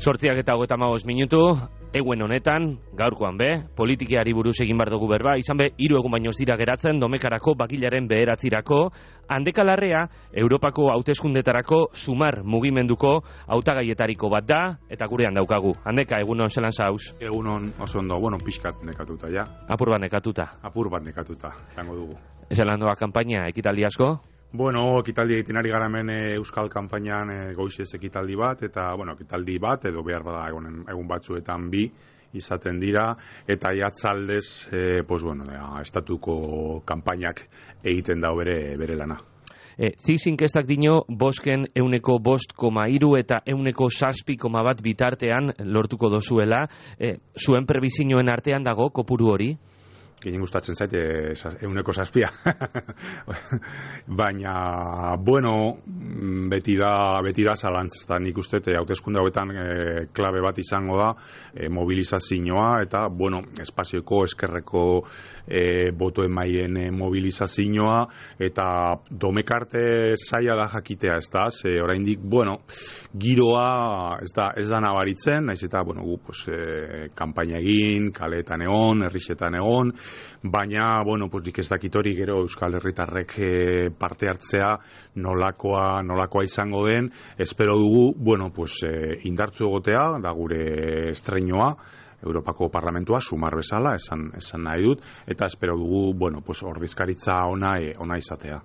8:35 eguen honetan, gaurkoan politikeari buruz egin bar dugu berba, izan 3 egun baino ez dira geratzen Domekarako bakilaren 9 Handeka-Larrea Europako hauteskundetarako Sumar mugimenduko hautagaietariko bat da, eta gurean daukagu. Handeka, egunon zelan zauz? Egunon oso ondo, pixkat nekatuta, ja. Apur bat nekatuta, zango dugu. Zelan doa kanpaina, ekitaldi asko? Ekitaldi egiten ari gara hemen Euskal Kanpainan goizez ekitaldi bat, eta, ekitaldi bat, edo behar bada egun batzuetan 2 izaten dira, eta jatzaldez, estatuko kanpainak egiten da bere lana. Zizinkestak dino, bosken 5,3 eta 7,1 bitartean lortuko dozuela, zuen prebizioen artean dago kopuru hori? Gehien gustatzen zaite 7,7. Baina, beti da zalantzazta. Nik uste, hauteskunde hauetan klabe bat izango da mobilizazioa, eta, espazioko eskerreko boto emaien mobilizazioa, eta domekarte zaila da jakitea, ez da, oraindik, giroa ez da nabaritzen, naiz eta, kanpaina egin, kaleetan egon, herrixetan egon, baina, nik ez dakit hori gero Euskal Herritarrek parte hartzea nolakoa izango den, espero dugu, indartzu egotea, da gure estreinoa, Europako Parlamentua, Sumar bezala, esan nahi dut, eta espero dugu, ordezkaritza ona izatea.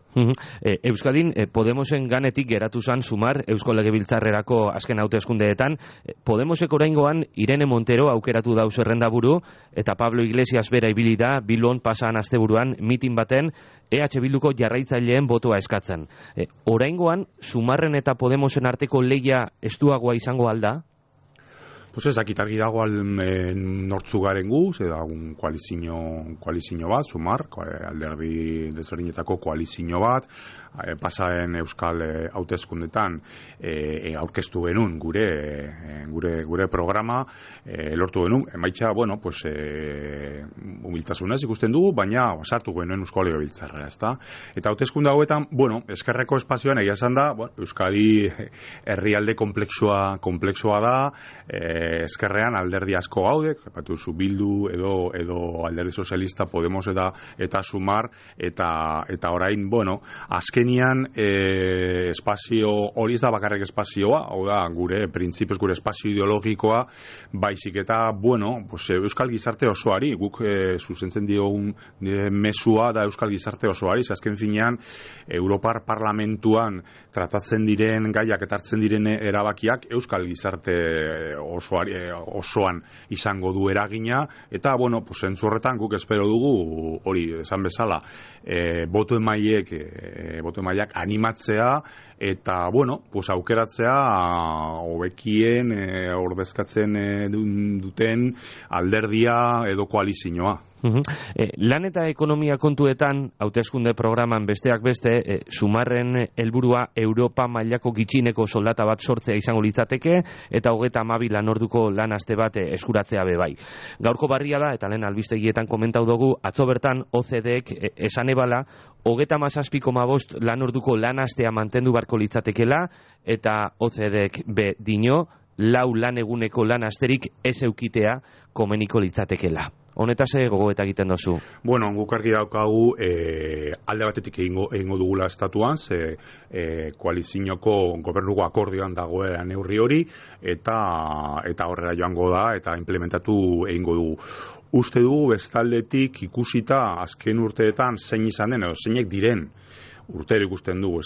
Euskadin, Podemosen ganetik geratu zan Sumar, Eusko Legebiltzarrerako azken hauteskundeetan, Podemosek oraingoan Irene Montero aukeratu dauz errendaburu, eta Pablo Iglesias bera ibili da Bilbon pasan asteburuan mitin baten EH Bilduko jarraitzaileen botoa eskatzen. Oraingoan, Sumarren eta Podemosen arteko lehia estuagoa izango alda? Ez dakit argi dago nortzu garen gu, edagun koalizio bat, Sumar, alderdi desberdinetako koalizio bat, pasaren Euskal hauteskundetan aurkeztu genuen gure programa, lortu genuen, emaitza, humiltasunez ikusten dugu, baina sartu genuen Eusko Legebiltzarrera, ezta? Eta hauteskunde hauetan, eskerreko espazioan egia esan da, Euskadi herrialde komplexua da, eskerrean alderdi asko gaude, zu Bildu edo alderdi sozialista, Podemos eta Sumar, eta orain, azkenian espazio, hori ez da bakarrik espazioa, hau da, gure printzipioz, gure espazio ideologikoa, baizik eta, Euskal gizarte osoari, guk zuzentzen diogun mesua da Euskal gizarte osoari, azken finean, Europar Parlamentuan tratatzen diren gaiak eta hartzen diren erabakiak Euskal gizarte osoan izango du eragina, eta, zentzu horretan guk espero dugu, hori, esan bezala, boto emaileak animatzea, eta, aukeratzea hobekien ordezkatzen duten alderdia edo koalizioa. Lan eta ekonomia kontuetan, hauteskunde programan besteak beste, Sumarren helburua Europa mailako gitxineko soldata bat sortzea izango litzateke, eta 32 lanorduko lan aste bat eskuratzea bai. Gaurko barria da, eta lehen albistegietan komentau dugu, atzo bertan OCDek esan ebala, 37,5 lanorduko lan astea mantendu barko litzatekela, eta OCDek dino, 4 lan eguneko lan asterik ez eukitea komeniko litzatekela. Honetaz gogoeta egiten dozu? Guk argi daukagu alde batetik egingo dugula estatuan, koalizioko gobernuko akordioan dagoela neurri hori, eta horrela joango da, eta implementatu egingo dugu. Uste dugu bestaldetik ikusita azken urteetan zein izan den, edo zeinek diren urtero ikusten dugu,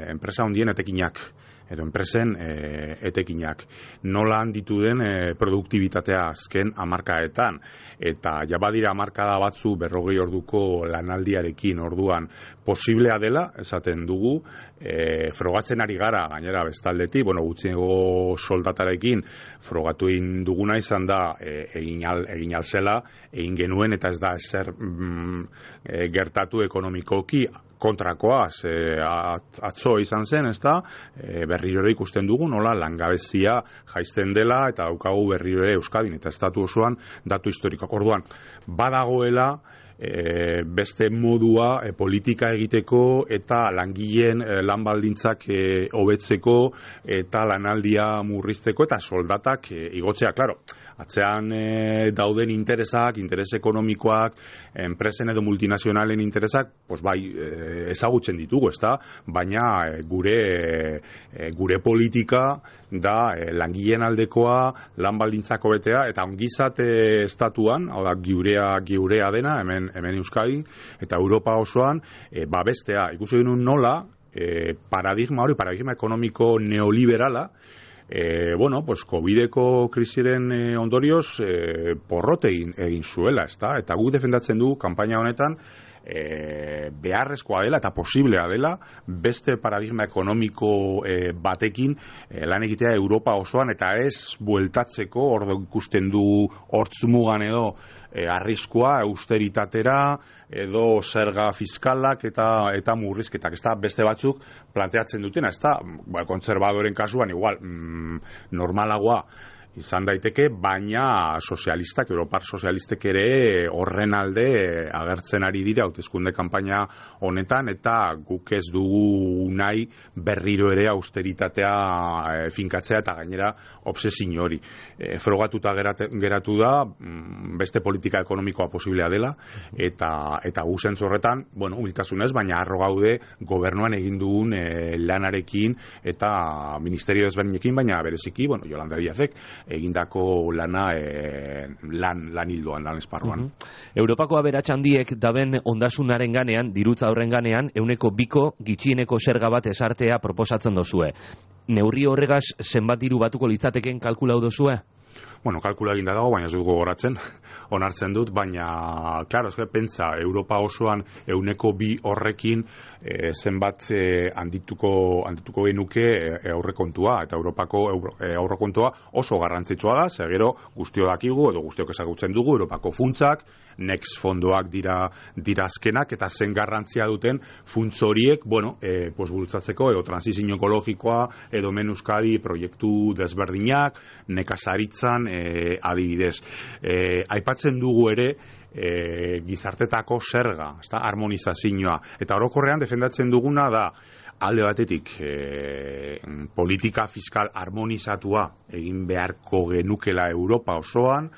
enpresa handien etekinak, edo enpresen etekinak. Nola handitu den produktibitatea azken hamarkadetan, eta jabadira hamarkada batzu 40 orduko lanaldiarekin orduan posiblea dela, esaten dugu, frogatzen ari gara, gainera bestaldetik, gutxiengo soldatarekin frogatu egin duguna izan da egin alzela, egin genuen, eta ez da ezer gertatu ekonomikoki kontrakoaz, atzo izan zen, ez da, berriro ikusten dugu, nola langabezia jaisten dela, eta daukagu berriro Euskadin, eta estatu osoan datu historikoak. Orduan, badagoela beste modua politika egiteko eta langileen lan baldintzak hobetzeko eta lanaldia murrizteko eta soldatak igotzea, claro. Atzean dauden interes ekonomikoak, enpresen edo multinazionalen interesak, pues bai, ezagutzen ditugu, ezta? Baina gure politika da langileen aldekoa, lan baldintzako betea eta ongizate estatuan, hau da geurea dena, hemen Euskadi eta Europa osoan, bestea, ikusi genuen nola, paradigma ekonomiko neoliberala, pues COVIDeko krisiren ondorioz porrote egin zuela, ezta? Eta guk defendatzen du kanpaina honetan beharrezkoa dela eta posiblea dela beste paradigma ekonomiko batekin lan egitea Europa osoan eta ez bueltatzeko hor ikusten du hortzmugan edo arriskua austeritatera edo zerga fiskalak eta murrizketak, ezta beste batzuk planteatzen dutena, ezta kontserbadoren kasuan igual normalagoa izan daiteke, baina sozialistak, Europar sozialistek ere horren alde agertzen ari dira hauteskunde kanpaina honetan eta guk ez dugu nahi berriro ere austeritatea finkatzea eta gainera obsesio hori. Frogatuta geratu da beste politika ekonomikoa posiblea dela eta gu zentzu horretan, humiltasunez, baina harro gaude gobernuan egin dugun lanarekin eta ministerio ezberdinekin, baina bereziki, Yolanda Díazek egindako lana lan hildoan, lan esparruan. Europako aberats handiek daben ondasunaren ganean, dirutza horren ganean, 2% gitxieneko zerga bat esartea proposatzen dozue. Neurri horregaz zenbat diru batuko litzateken kalkulau dozue? Kalkula eginda dago, baina ez dugu goratzen, onartzen dut, baina, klaro, pentsa, Europa osoan 2% horrekin zenbat handituko genuke aurrekontua, eta Europako aurrekontua oso garrantzitsua da, gero guztio dakigu, edo guztiok ezagutzen dugu, Europako funtsak, Next fondoak dira azkenak, eta zen garrantzia duten funtz horiek, bultzatzeko, edo transizio ekologikoa, edo Euskadi proiektu desberdinak, nekazaritzan, adibidez. Aipatzen dugu ere gizartetako zerga, harmonizazioa, eta orokorrean defendatzen duguna da alde batetik politika fiskal harmonizatua egin beharko genukela Europa osoan,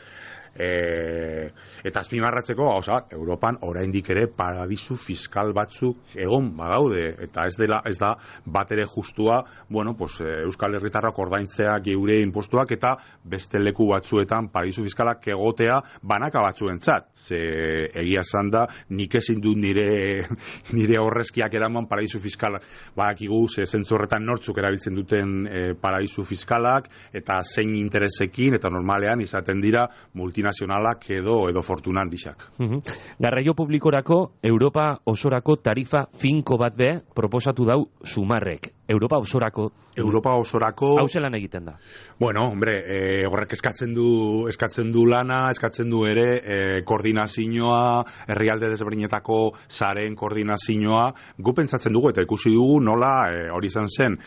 eta azpimarratzeko gauza, Europan oraindik ere paradisu fiskal batzuk egon badaude, eta ez da bat ere justua, Euskal Herritarrak ordaintzea geure inpostuak eta beste leku batzuetan paradisu fiskalak egotea banaka batzuentzat. Egia esan da, nik ezin dut nire horrezkiak eraman paradisu fiskal badakigu, zentzu horretan nortzuk erabiltzen duten paradisu fiskalak, eta zein interesekin, eta normalean izaten dira multinazionalak edo fortuna handixak. Garraio publikorako Europa osorako tarifa finko bat proposatu dau Sumarrek. Europa osorako hau zelan egiten da? Horrek eskatzen du lana, eskatzen du ere koordinazioa, herrialde desberdinetako sareen koordinazioa. Gu pentsatzen dugu eta ikusi dugu nola hori izan zen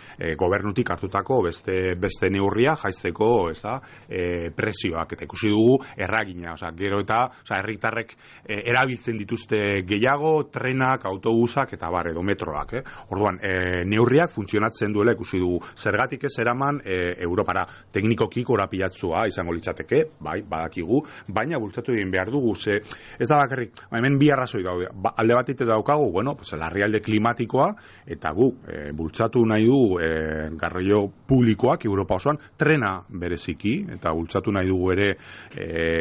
gobernutik hartutako beste neurria jaisteko, presioak, eta ikusi dugu erragina, gero eta herritarrek erabiltzen dituzte gehiago, trenak, autobusak eta edo metroak. Orduan, neurriak funtzionatzen duela ikusi dugu. Zergatik ez eraman Europara teknikoki korapilatzua izango litzateke, bai, badakigu, baina bultzatu egin behar dugu, ez da bakarrik, hemen bi arrazoi daude, alde batetik daukagu, larrialde klimatikoa, eta gu, bultzatu nahi du garraio publikoak Europa osoan, trena bereziki, eta bultzatu nahi dugu ere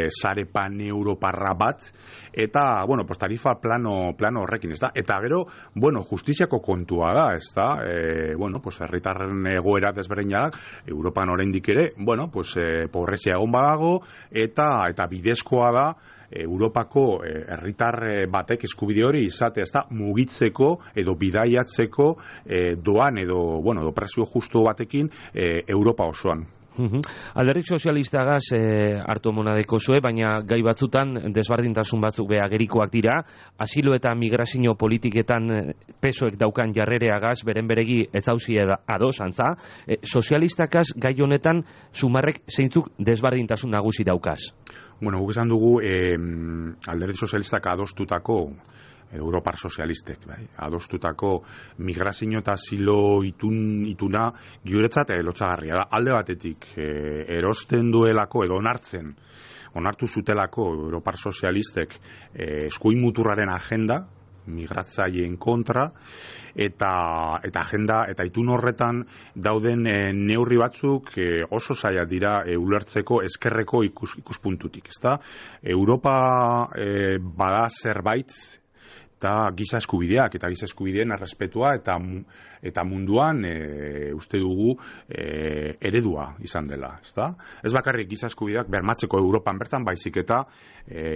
sare pan-europarra bat, eta, tarifa plano horrekin, ez da, eta gero, justiziako kontua da, ez da, herritarren egoera desberdinak, Europan oraindik ere, pobrezia egon badago, eta bidezkoa da, Europako herritar batek eskubide hori izate, ez da, mugitzeko edo bidaiatzeko doan edo prezio justu batekin Europa osoan. Alderdi sozialistagaz hartu monadeko zue, baina gai batzutan desbardintasun batzuk agerikoak dira, asilo eta migrazio politiketan pesoek daukan jarrereagaz, beren beregi ez hauzi ados, antza, sozialistakaz gai honetan Sumarrek zeintzuk desbardintasun nagusi daukaz? Bueno, guk esan dugu alderdi sozialistak adostutako Europar sozialistek, bai, adostutako migrazio eta asilo ituna guretzat lotsagarria da. Alde batetik erosten duelako edo onartu zutelako Europar sozialistek eskuin muturraren agenda, migratzaileen kontra, eta agenda eta itun horretan dauden neurri batzuk oso zailak dira ulertzeko ezkerreko ikuspuntutik, ezta? Europa bada zerbait eta giza eskubideak eta giza eskubideen errespetua eta munduan uste dugu eredua izan dela, ezta? Ez bakarrik giza eskubideak bermatzeko Europan bertan, baizik eta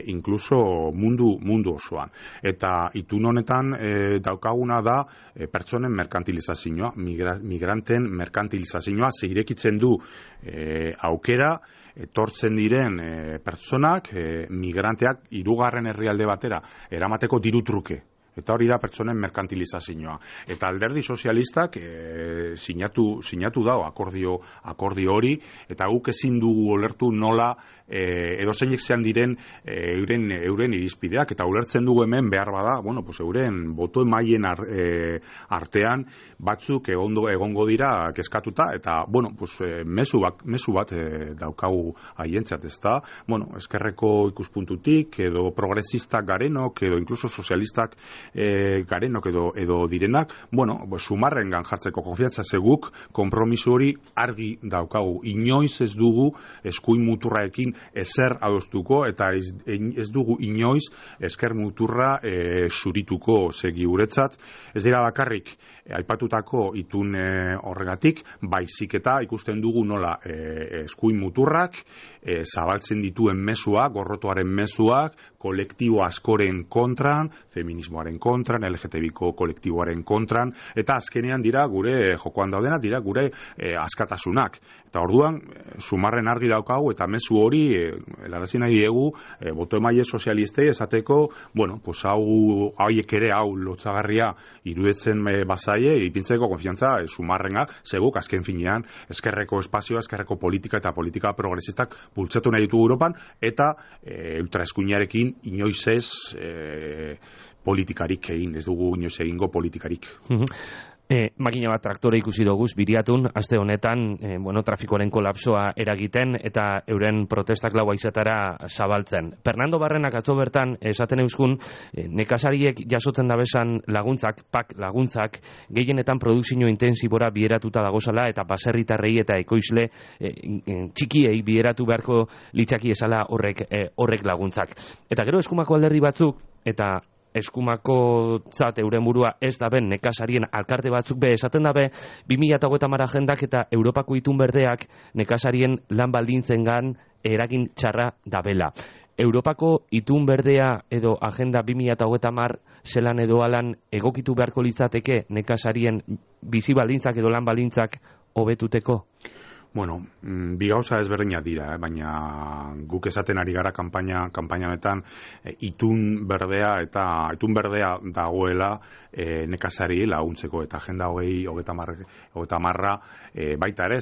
incluso mundu osoan. Eta itun honetan daukaguna da pertsonen merkantilizazioa, migranten merkantilizazioa, irekitzen du aukera etortzen diren pertsonak, migranteak hirugarren herrialde batera eramateko diru truke. Eta hori da pertsonen merkantilizazioa. Eta alderdi sozialistak sinatu da akordio hori, eta guk ezin dugu ulertu nola edozeinek zean diren euren irizpideak, eta ulertzen dugu hemen behar bada, euren boto emailen artean batzuk egongo dira kezkatuta, eta mezu bat daukagu haientzat, ezta? Eskerreko ikuspuntutik, edo progresistak garenok, edo incluso sozialistak garenok edo direnak, sumarrengan jartzeko konfiantza zeguk, konpromiso hori argi daukagu. Inoiz ez dugu eskuin muturraekin ezer adostuko, eta ez dugu inoiz esker muturra zurituko segi guretzat. Ez dira bakarrik aipatutako itun horregatik, baizik eta ikusten dugu nola eskuin muturrak zabaltzen dituen mezuak, gorrotoaren mezuak, kolektibo askoren kontran, feminismoaren kontran, LGTBiko kolektiboaren kontran, eta azkenean dira gure jokoan daudenak, dira gure askatasunak. Eta orduan, sumarren argi daukagu, eta mezu hori, helarazi nahi diegu, boto emaile sozialistei esateko, hauek ere hau lotsagarria iruditzen bazaie, ipintzeko konfiantza sumarrenga, zeguk azken finean, eskerreko espazioa, eskerreko politika eta politika progresistak bultzatu nahi ditugu Europan, eta ultraeskuinarekin inoiz ez politikarik egin, ez dugu inoiz egingo politikarik. Makina bat traktore ikusi doguz Biriatun, aste honetan, trafikoaren kolapsoa eragiten eta euren protestak laua izatara zabaltzen. Fernando Barrenak atzo bertan esaten euskun, nekazariek jasotzen dabesan laguntzak, pak laguntzak, gehienetan produkzio intensibora bieratuta dagozala eta baserritarrei eta ekoizle txikiei bieratu beharko litzaki esala horrek laguntzak. Eta gero eskumako alderdi batzuk, eta eskumako zat euren burua ez da ben nekazarien alkarte batzuk be esaten dabe 2030 agendak eta Europako itun berdeak nekazarien lan baldintzengan eragin txarra dabela. Europako itun berdea edo agenda 2030 zelan edo alan egokitu beharko litzateke nekazarien bizi baldintzak edo lan baldintzak hobetuteko? Bi gauza ezberdinak dira, baina guk esaten ari gara kanpaina honetan itun berdea dagoela nekazari laguntzeko, eta agenda 2030 baita ere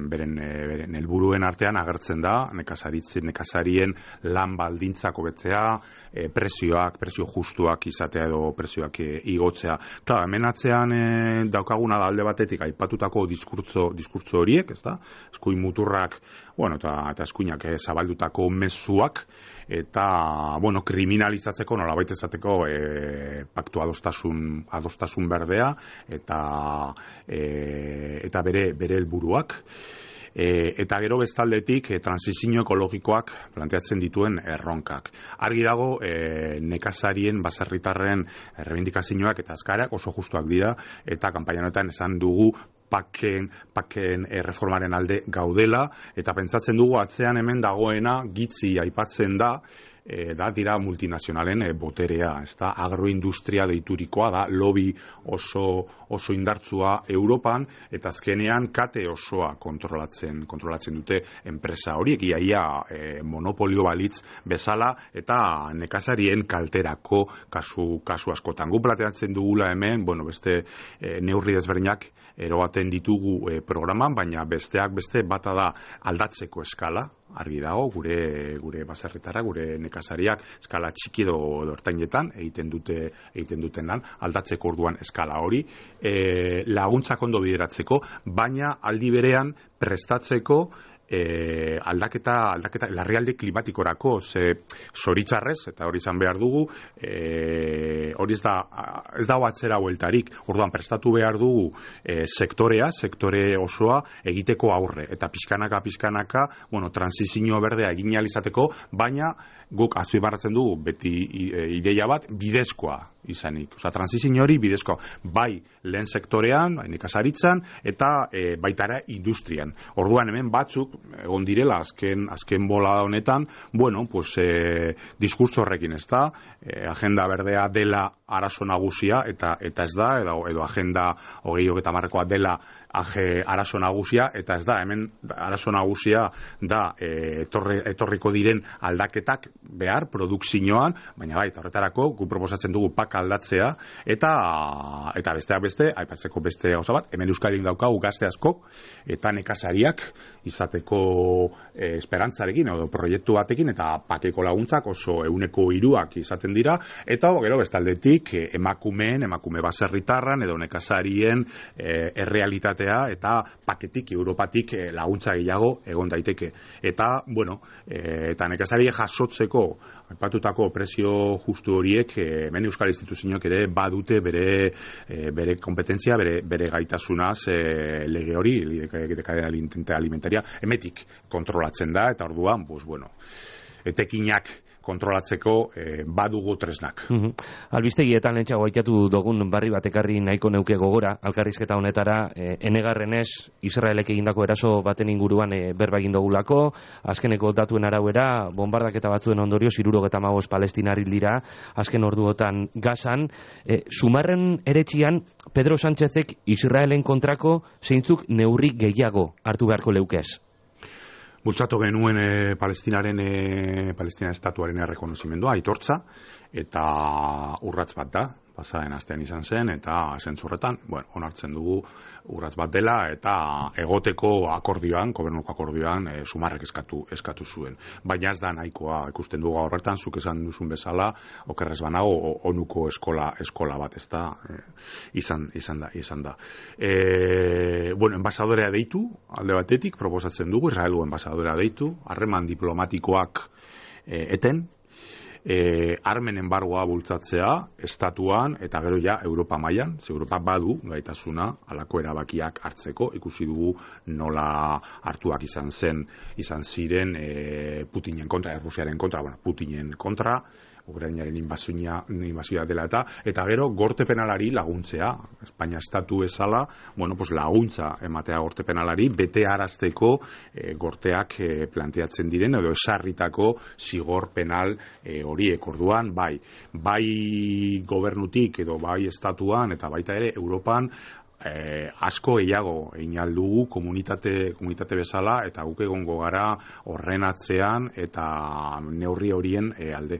beren helburuen artean agertzen da nekazarien lan baldintzak hobetzea, prezio justuak izatea edo prezioak igotzea. Claro, hemen atzean daukaguna da alde batetik aipatutako diskurtso horiek, ezta? Eskuin muturrak, eta eskuinak zabaldutako mezuak, eta, kriminalizatzeko, nolabait esateko, paktu adostasun berdea, eta bere helburuak. Eta gero bestaldetik transizio ekologikoak planteatzen dituen erronkak. Argi dago nekazarien, baserritarren errebindikazioak eta azkarak oso justuak dira, eta kanpaina honetan esan dugu paken reformaren alde gaudela, eta pentsatzen dugu atzean hemen dagoena gitzi aipatzen da, dira multinazionalen boterea, ezta? Agroindustria deiturikoa da, lobby oso indartsua Europan, eta azkenean kate osoa kontrolatzen dute enpresa horiek, ia monopolio balitz bezala, eta nekazarien kalterako kasu askotan. Gu planteatzen dugula hemen, beste neurri desberdinak eroaten ditugu programan, baina besteak beste bata da aldatzeko eskala, argi dago, gure baserritara, gure nekazariak eskala txiki edo ertainetan egiten duten lan, aldatzeko orduan eskala hori, laguntzak ondo bideratzeko, baina aldi berean prestatzeko aldaketa larrialdi klimatikorako, zoritzarrez, eta hori izan behar dugu, hori ez dago atzera bueltarik, orduan prestatu behar dugu sektore osoa egiteko aurre, eta pixkanaka, transizio berdea egin ahal izateko, baina guk azpimarratzen dugu beti ideia bat bidezkoa izanik. Osa, transizio hori bidezkoa, bai lehen sektorean, bai nekazaritzan, eta baitara industrian. Orduan hemen batzuk, egon direla azken bola honetan, bueno, pues diskurtso horrekin ez da, agenda berdea dela arazo nagusia, eta ez da, edo agenda 2030koa dela arazo nagusia, eta ez da, hemen arazo nagusia da etorriko diren aldaketak behar produkzioan, baina bai, horretarako gu proposatzen dugu pak aldatzea, eta besteak beste, aipatzeko beste gauza bat, hemen Euskadin daukagu gazte askok, eta nekazariak izateko esperantzarekin, edo proiektu batekin, eta pakeko laguntzak oso 1/3 izaten dira, eta gero bestaldetik emakume baserritarran, edo nekazarien errealitatea, eta paketik, Europatik laguntza gehiago egon daiteke. Eta, bueno, eta nekazarie jasotzeko aipatutako prezio justu horiek, hemen Euskal Instituzioak ere badute bere kompetentzia, bere gaitasunaz lege hori, lege alimentaria, emetik kontrolatzen da, eta orduan, pues bueno, etekinak kontrolatzeko badugu tresnak. Albistegietan lentsago aitatu dugun barri bat ekarri nahiko neuke gogora, elkarrizketa honetara, enegarrenez Israelek egindako eraso baten inguruan berba egin dugulako, azkeneko datuen arabera, bombardaketa batzuen ondorioz 75 palestinar hil dira, azken orduotan Gazan. Sumarren eretxian, Pedro Sánchezek Israelen kontrako zeintzuk neurri gehiago hartu beharko leukez? Bultzatu genuen Palestina estatuaren errekonozimendua, aitortza, eta urrats bat da, pasaren astean izan zen, eta zentzurretan, onartzen dugu urrats bat dela, eta egoteko akordioan, gobernuko akordioan, Sumarrek eskatu zuen. Baina ez da nahikoa ikusten dugu horretan, zuk esan duzun bezala, okerrez banago, onuko eskola bat, ez da, izan da. Enbasadorea deitu, alde batetik, proposatzen dugu, Israelu enbasadorea deitu, harreman diplomatikoak eten, armen enbargoa bultzatzea estatuan eta gero ja Europa mailan, ze Europa badu gaitasuna halako erabakiak hartzeko, ikusi dugu nola hartuak izan ziren Putinen kontra, Errusiaren kontra, Putinen kontra, Ukrainaren inbasioa dela eta gero gorte penalari laguntzea, Espainia estatu bezala, laguntza ematea gorte penalari, bete arazteko gorteak planteatzen diren, edo esarritako zigor penal horiek. Orduan, bai gobernutik edo bai estatuan eta baita ere Europan asko gehiago egin aldugu komunitate bezala, eta guk egongo gara horren atzean eta neurri horien alde.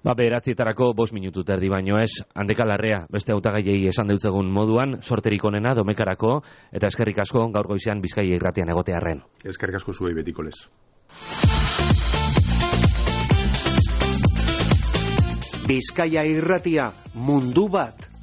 Beratietarako 5 minutu terdi baino ez, Handeka Larrea, beste hautagaiei esan deutzegun moduan, sorterik onena Domekarako, eta eskerrik asko gaur goizean Bizkaia irratian egotearren. Eskerrik asko zuei betiko lez. Bizkaia irratia, mundu bat.